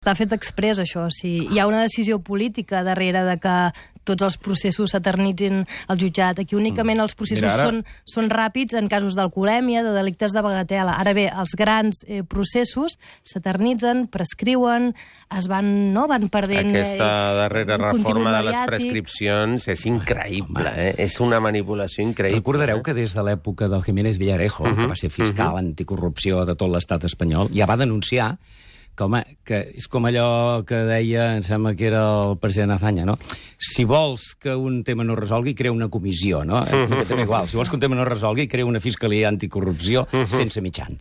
Està fet exprés, això. Si hi ha una decisió política darrere de que tots els processos s'eternitzin al jutjat. Aquí únicament els processos són ràpids en casos d'alcoholèmia, de delictes de bagatela. Ara bé, els grans processos s'eternitzen, prescriuen, van perdent... Aquesta darrera reforma de les prescripcions és increïble, És una manipulació increïble. Recordareu que des de l'època del Jiménez Villarejo, que va ser fiscal anticorrupció de tot l'estat espanyol, ja va denunciar que és com allò que deia, em sembla que era el president Azaña, no? Si vols que un tema no es resolgui, crea una comissió, no? També igual. Si vols que un tema no es resolgui, crea una fiscalia anticorrupció sense mitjans.